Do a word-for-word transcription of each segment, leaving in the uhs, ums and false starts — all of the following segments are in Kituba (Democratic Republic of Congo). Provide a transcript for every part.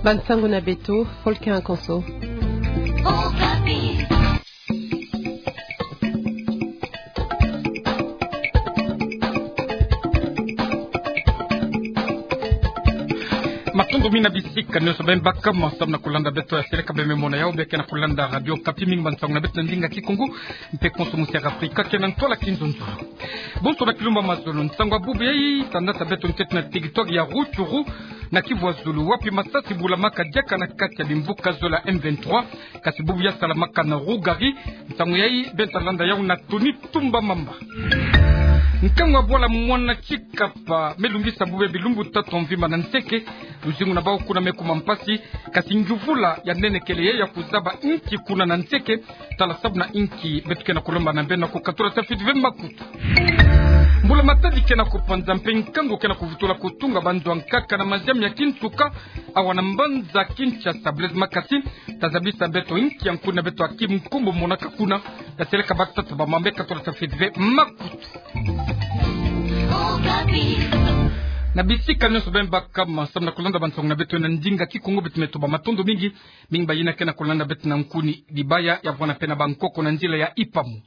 Bansango na beto, Folkin Akonso. Matondo mingi na bisika nyonso beno baka, samu na kulanda beto ya seleka beno me mona yao, beno ke na kulanda Radio Okapi. Mingi bansango na beto na ndinga Kikongo, mpe konso musi ya Afrika ke na ntwala kinzonzolo. Bonso na kilumbu ya mazono, nsangu ya bubu yayi, tandasa beto ntete na territoire ya Rutshuru, na Kivu ya zulu, wapi masasi bulamaka diaka na kati ya bimvuka zole ya M vingt-trois, kasi bubu ya salamaka na Rougari. Nsangu yayi, beno ta landa yao na Tony Tumba Mamba. Nkangu ya bwala mwana Tshikapa me lungisa bubu bilumbu tatu mvimba na nseke, luzingu na bau kuna me kuma mpasi, kasi ngiuvula ya nene kele ye ya kuzaba inki kuna na nseke, tala sababu na inki beto ke na kulomba na beno na kukatula tafiti ve makutu. Mbula matadi ke na kupanza mpe nkangu ke na kuvutula kutunga banzo ya nkaka na maziami ya kintuka, awa na mbanza Kinshasa. Blaise Makasi ta zabisa beto inki ya nkuni na beto aki nkumbu monaka kuna, ya seleka batata ba mama me katula tafiti ve makutu. Na bisika nyonso beno baka, samu na kulanda bansango na beto na ndinga Kikongo, beto me tuba matondo mingi. Mingi bayina ke na kulanda beto na nkuni dibaya, ya vwanda mpe na bankoko na nzila ya Ipamu.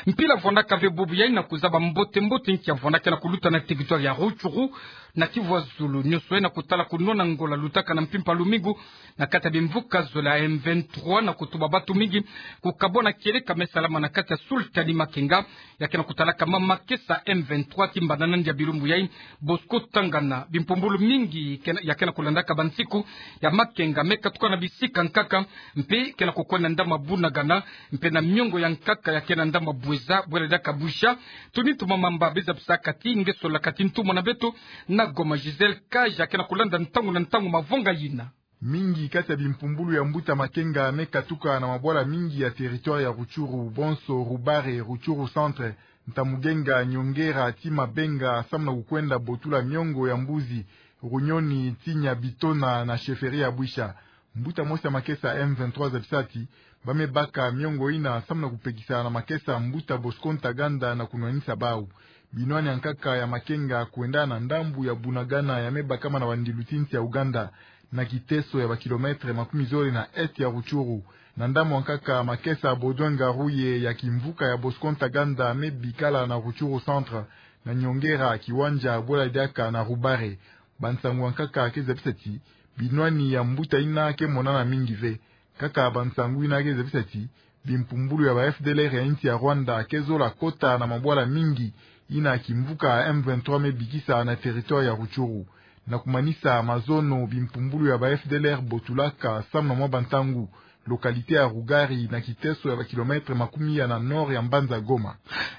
Mpila vwandaka ve bubu yayi na kuzaba mbote mbote inki ya vwandaka na kuluta na territoire ya Rutshuru, na Kivu ya zulu nyonso, na kutala kunwana ngola lutaka na mpimpa lumingu na kati ya bimvuka zole ya M vingt-trois, na kutuba bantu mingi kukabwana kieleka me salama na kati ya sultani Makenga, ya ke na kutalaka mama makesa M vingt-trois ti mbanda na ndia bilumbu yayi. Bosco Ntaganda, bimpumbulu mingi ke na, ya ke na kulandaka bansiku ya Makenga me katuka na bisika nkaka, mpe ke na kukwenda ndambu ya Bunagana, mpe na miongo ya nkaka ya ke na ndambu ya Boueza, bwela diaka Boucha. Tony Tumba Mamba me zabisaka ti nge sola kati ntumwa na beto na Goma, Gisèle Kaja, ke na kulanda ntangu na ntangu mavanga yina. Mingi kati ya bimpumbulu ya mbuta Makenga me katuka na mabwala mingi ya territoire ya Rutshuru, bonso Rubare, Rutshuru Centre, Ntamugenga, Nyongera, ti Mabenga, samu na kukwenda botula miongo ya Mbuzi, Runyoni, ti Nyabitona na chefferie ya Boucha. Mbuta mosi ya makesa M vingt-trois zabisa ti ba me baka miongo yina samu na kupekisa na makesa mbuta Bosco Ntaganda na kunwanisa bau. Binwani ya nkaka ya Makenga kwenda na ndambu ya Bunagana ya me bakama na bandilu ti nsi ya Ouganda, na kiteso ya ba kilomètre makumi zole na est ya Rutshuru. Na ndambu ya nkaka, makesa Baudouin Ngaruye ya kimvuka ya Bosco Ntaganda me bikala na Rutshuru Centre, na Nyongera, Kiwanja, bwela diaka na Rubare. Bansangu ya nkaka ke zabisa ti binwani ya mbuta yina ke monana mingi ve. Kaka bansangu yina ke zabisa ti bimpumbulu ya ba F D L R ya nsi ya Rwanda ke zola kota na mabwala mingi yina kimvuka M vingt-trois me bikisa na territoire ya Rutshuru. Na kumanisa mazono, bimpumbulu ya ba F D L R botulaka samu na mwa bantangu localité ya Rugari, na kiteso ya ba kilomètre makumi ya na nord ya mbanza Goma.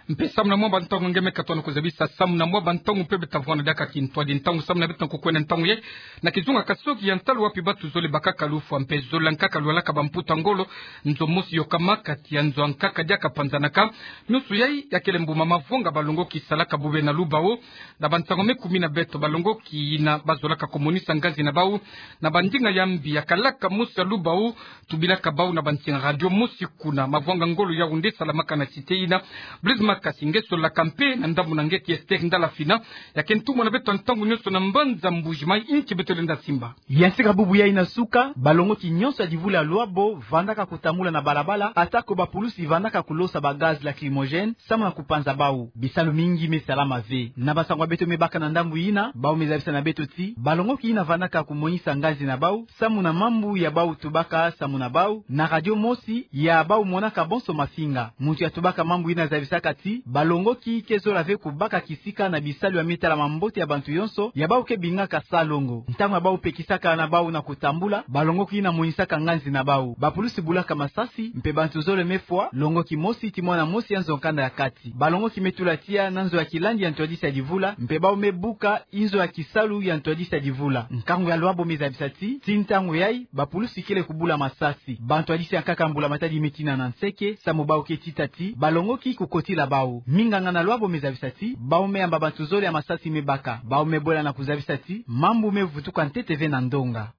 Mpe samu na mwa bantangu nge me katuka na kuzabisa, samu na mwa bantangu mpe beta vwanda diaka kintwadi ntangu samu na beto na kukwenda ntangu yayi na kizunga kasoki ya ntalu wapi bantu zole bakaka lufwa mpe zole ya nkaka lwalaka bamputa ngolo, nzo mosi yokama kati ya nzo ya nkaka diaka panzanaka. Nyonso yayi ya kele mbuma mavonga balongoki salaka bobena lubao. Na bansangu me kumi na beto, balongoki yina bazolaka kumonisa nganzi na bau na bandinga ya mbi ya kalaka mosi ya lubao, tubilaka bau na bansinga radio mosi kuna. Mavonga ngolo yau nde salamaka na cité yina. Blaise Makasi, nge solaka mpe na ndambu na nge ki Esther Ndala Fina, ya ke ntumwa na beto ntangu nyonso na mbanza Mbuji Mayi, inki beto lenda simba. Ya sika bubu yayi na suka, balongoki nyonso ya divula ya Luabo vandaka kutambula na balabala, atako bapulusi vandaka kulosa ba gaz lacrymogène samu na kupanza bau. Bisalu mingi me salama ve. Na bansangu ya beto me baka na ndambu yina, bau me zabisa na beto ti balongoki yina vandaka kumonisa nganzi na bau samu na mambu ya bau tubaka samu na bau na radio mosi ya bau monaka bonso mafinga. Muntu ya tubaka mambu yina zabisaka ti balongoki ke zola ve kubaka kisika na bisalu ya me tala mambote ya bantu yonso ya bau ke bingaka salongo. Ntangu ya bau pekisaka na bau na kutambula, balongoki yina monisaka nganzi na bau. Bapulusi bulaka masasi, mpe bantu zole me fwa, longoki mosi ti mwana mosi ya nzo ya kanda ya kati. Balongoki me tula tiya na nzo ya kilandi ya ntwadisi ya divula, mpe bau me buka inzo ya kisalu ya ntwadisi ya divula. Nkangu ya Luabo me zabisa ti, ti ntangu yayi, bapulusi kele kubula masasi. Bantwadisi ya nkaka mbula matadi me tina na nseke, samu bau ke tita ti balongoki kukotila bau. Minganga na Luabo me zabisa ti bau me yamba bantu zole ya masasi me baka. Bau me bwela na kuzabisa ti mambu me vutuka ntete ve na ndonga.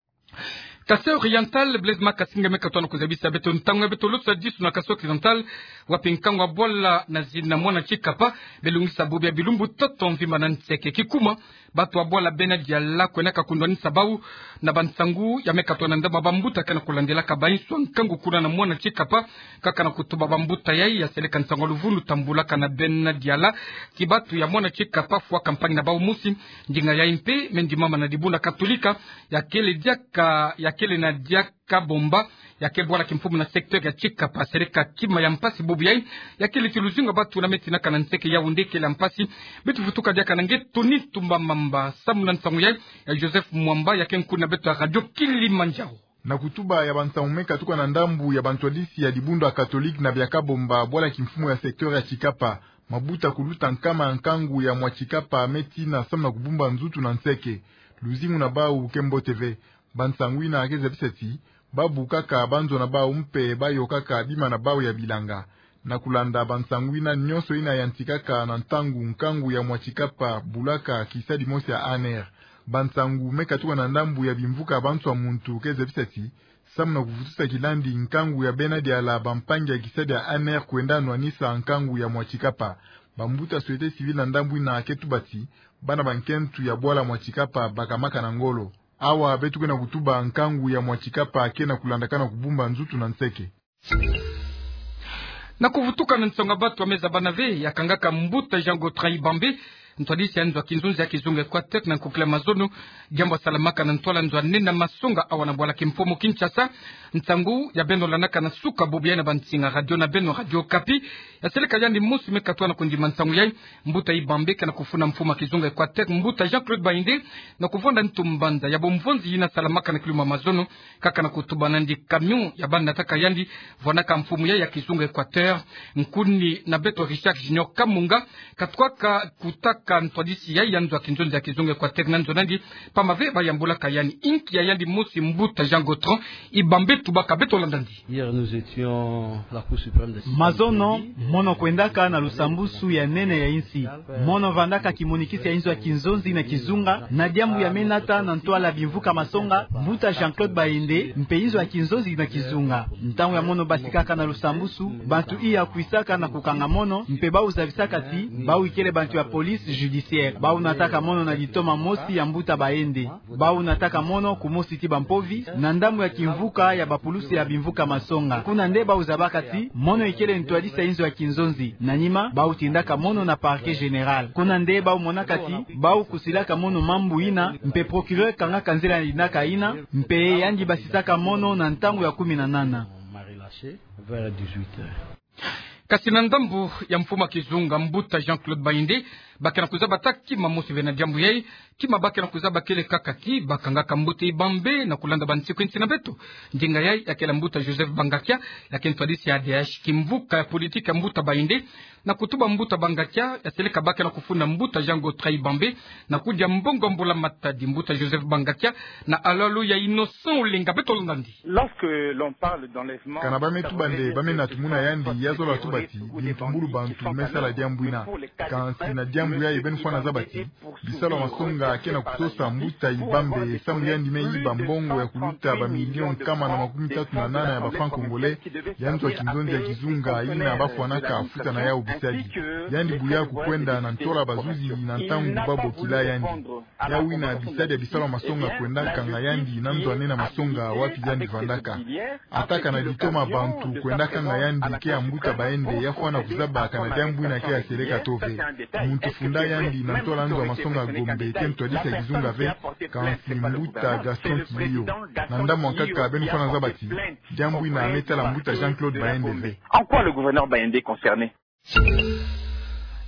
Kasaï Oriental, Blaise Makasinga me katona kuzabisa beto ntangu ya beto losa disu na Kasaï Occidental, wapi nkangu ya bwala na zina mwana tikapa belungisa bobi ya bilumbu toto mvimba na nseke. Kikuma, bato ya bwala Bena Diala kwendaka kundwanisa bau na bansangu ya me katona ndambu ya bambuta ke na kulandelaka bainsu ya nkangu kuna na mwana tikapa. Kaka na kutuba bambuta yai ya seleka nsangu ya luvunu tambulaka na Bena Diala ti bato ya mwana tikapa fwaka mpangi na bau mosi. Ndinga yai mpe me ndimama na dibundu ya Katolika, ya kele diaka, ya kele na diaka Kabomba, ya ke bwala kimfumu na secteur ya tikapa. Seleka kima ya mpasi bobi yai, ya kele ti luzingu ya bato na me tinaka na nseke Yaoundé kele ya mpasi. Beto vutuka diaka na nge Tony Tumba Mamba samu na nsangu yai ya Joseph Mwamba, ya ke nkuni na beto ya Radio Kilimanjaro. Na kutuba ya bansangu me katuka na ndambu ya bantwadisi ya dibundu ya Katolika na bia Kabomba, bwala kimfumu ya secteur ya tikapa, mabuta kuluta nkama ya nkangu ya mwa tikapa me tina samu na kubumba nzutu na nseke. Luzingu na bau ke mbote ve. Bansangu yina ke zabisa ti babu kaka banzo na bau mpe bayo kaka bima na bau ya bilanga. Na kulanda bansangu yina, nyonso yina yantikaka na ntangu nkangu ya mwa tikapa bulaka kisadi mosi ya A N R. Bansangu me katuka na ndambu ya bimvuka ya banso ya muntu ke zabisa ti samu na kuvutusa kilandi nkangu ya Bena Diala, bampangi ya kisadi ya A N R kwenda nwanisa nkangu ya mwa tikapa. Bambuta société civile na ndambu yina ke tuba ti bana ba nkento ya bwala mwa tikapa bakamaka na ngolo. Awa beto ke na kutuba nkangu ya mwa tikapa ke na kulandakana kubumba nzutu na nseke. Na kuvutuka na nsangu ya bato ya me zabana ve, ya kangaka mbuta Jean Gautran Ibambe, ntwadisi ya nzo ya kinzonzi ya kizunga Equateur na nkukila mazono, diambu ya salamaka na ntwala nzo ya nene ya masonga awa na bwala kimfumu Kinshasa. Nsangu ya beno landaka na suka bobi yai na bansinga radio na beno Radio Okapi. Ya seleka yandi mosi me katona kundima nsangu yai. Mbuta Ibambe ke na kufuna mfumu ya kizunga Equateur, mbuta Jean-Claude Baïndé, na kuvwanda ntu mbanza ya bomvonzi yina salamaka na kilumbu ya mazono. Kaka na kutuba nandi camion ya bana nataka yandi, vwanaka mfumu yai ya kizunga Equateur. Nkuni na beto Richard Junior Kamunga katwaka kutaka ntwadisi yai ya nzo ya kinzonzi ya kizunga Equateur na nzo nandi, pamba ve bayambulaka yandi. Inki ya yandi mosi mbuta Jean Gautran Ibambe tubaka? Beto landa nandi. Hier, nous étions à la Cour suprême de Sicile. Mazono, mono kwendaka na lusambusu ya nene ya insi. Mono vandaka kimonikisi ya inzo ya kinzonzi na kizunga, na diambu ya me nata na ntwala bimvuka masonga, mbuta Jean-Claude Baïndé, mpe inzo ya kinzonzi na kizunga. Ntangu ya mono basikaka na lusambusu, bantu iya kwisaka na kukanga mono, mpe bau zabisaka ti bau ikele bantu ya police judiciaire. Bau nataka mono na litoma mosi ya mbuta Baïndé. Bau nataka mono kumosi ti bampovi, na ndambu ya kimvuka ya bapulusi ya bimvuka masonga. Kuna nde bau zabaka ti mono ikele ntwadisi ya inzo ya kinzonzi. Na nima, bau tindaka mono na parquet général. Kuna nde bau monaka ti bau kusilaka mono mambu yina, mpe procureur kangaka nzila yina ka yina, mpe yandi basisaka mono na ntangu ya kumi na nana. Vers dix-huit heures. Kasi na ndambu ya mfumu ya kizunga, mbuta Jean-Claude Baïndé, ba ke na kuzaba ata kima mosi ve na diambu yai. Kima ba ke na kuzaba kele kaka ti ba kangaka mbuta Ibambe na kulanda bansiku insi na beto. Ndinga yai ya kele mbuta Joseph Bangakia, ya ke ntwadisi ya A D H, kimvuka ya politique ya mbuta Baïndé. Na kutuba mbuta Bangakia, ya seleka ba ke na kufunda mbuta Jean Gautran Ibambe na kudia mbongo ya mbula matadi. Mbuta Joseph Bangakia na alalo ya Innocent Olenga. Beto landa nandi. Lorsque l'on parle d'enlèvement, kana ba me tuba nde ba me na tumuna yandi, ya zola tuba ti bintumbulu bantu me sala diambu yina. Kansi na diambu yai beno fwana zaba ti bisalu ya masonga ke na kusosa mbuta Ibambe samu yandi me yiba mbongo ya kuluta ba millions nkama na makumi tatu na nana ya ba francs congolais ya nzo ya kinzonzi ya kizunga yina ba fwanaka futa na yau bisadi. Yandi buya kukwenda na ntwala bazuzi na ntangu ba bokila yandi. Yau yina bisadi ya bisalu ya masonga kwenda kanga yandi na nzo ya nene ya masonga wapi yandi vandaka. Ata kana litoma bantu kwenda kanga yandi ke ya mbuta Baïndé, ya fwana kuzaba kana diambu yina ke ya seleka to ve. Muntu funda yandi na ntwala nzo ya masonga Gombe ke ntwadisi ya kizunga ve, kansi mbuta Gaston Tilio. Na ndambu ya nkaka beno fwana zaba ti diambu yina me tala mbuta Jean-Claude Baïndé ve. En quoi le gouverneur Baïndé est concerné?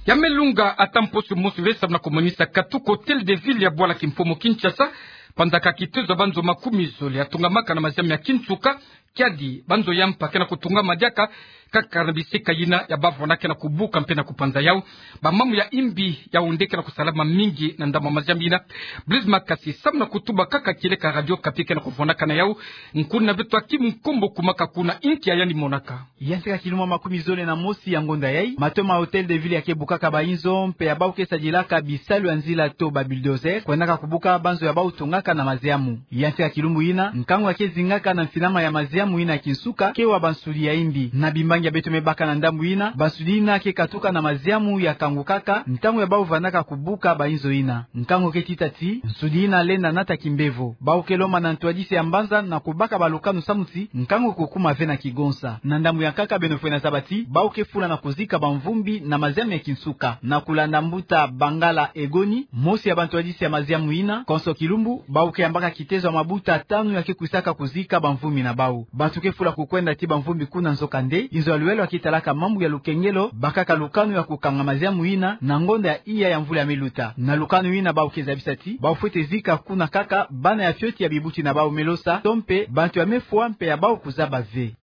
Ya me lunga ata mposo mosi ve samu na kumonisa katuka Hôtel de Ville ya bwala kimfumu Kinshasa, panzaka kitezo ya banzo makumi zole ya tungamaka na maziambu ya kinsuka, kiadi, banzo ya mpa ke na kutungama diaka kaka na bisika yina ya bavona ke na kubuka mpe na kupanza yau. Bamamu ya imbi yau nde ke na kusalama mingi na ndambu ya maziamu yina. Blaise Makasi, samu na kutuba kaka kieleka Radio Okapi ke na kuvonaka na yau, nkuna beto Hakim Nkombo kumaka kuna, inki ya yandi monaka. Ya ntika kilumbu makumi zole na mosi ya ngonda yai, mato ma Hôtel de Ville ya ke bukaka bainzo mpe ya bau ke sadilaka bisalu ya nzila to ba bulldozer, kwendaka kubuka banzo ya bau tungaka na maziamu. Ya ntika kilumbu yina, nkangu ya ke zingaka na mfinama ya maziamu yina ya kinsuka, ke wa bansudi ya imbi. Na bimbangi ya beto me baka na ndambu yina, bansudi yina ke katuka na maziamu ya kangukaka ntangu ya bau vandaka kubuka bainzo yina. Nkangu ke tita ti nsudi yina lenda nata kimbevo. Bau ke lomba na ntwadisi ya mbanza na kubaka balukanu samu ti nkangu kukuma ve na kigonsa. Na ndambu ya nkaka, beno fwe na zaba ti bau ke fula na kuzika bamvumbi na maziamu ya kinsuka. Na kulanda mbuta Bangala Egoni, mosi ya bantwadisi ya maziamu yina, konso kilumbu bau ke yambaka kitezo ya mabuta tanu ya ke kwisaka kuzika bamvumbi na bau. Bantu ke fula kukwenda ti bamvumbi kuna, nzokande inzo ya lulendo ya ke talaka mambu ya lukengelo bakaka lukanu ya kukanga maziamu yina na ngonda ya iya ya mvula ya me luta. Na lukanu yina bau ke zabisa ti bau fwete zika kuna kaka bana ya fioti ya bibuti na bau me losa, to mpe bantu ya me fwa mpe ya bau kuzaba ve.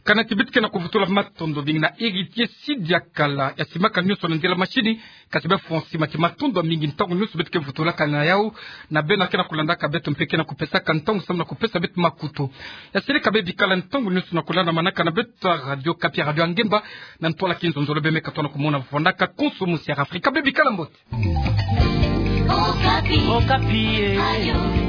Kana ti beto ke na kuvutula matondo mingi na Héritier Sidiakala ya simaka nyonso na nzila mashini. Kati bia fwa nsima ti matondo mingi ntangu nyonso beto ke vutulaka na yau, na beno ke na kulandaka beto mpe ke na kupesaka ntangu samu na kupesa beto makutu. Ya seleka be bikala ntangu nyonso na kulanda manaka na beto ya Radio Okapi, radio ya ngemba, na ntwala kinzonzolo. Be me katoa na kumona vandaka konso musi ya Afrika. Be bikala mbote. Okapi. Okapi, eh.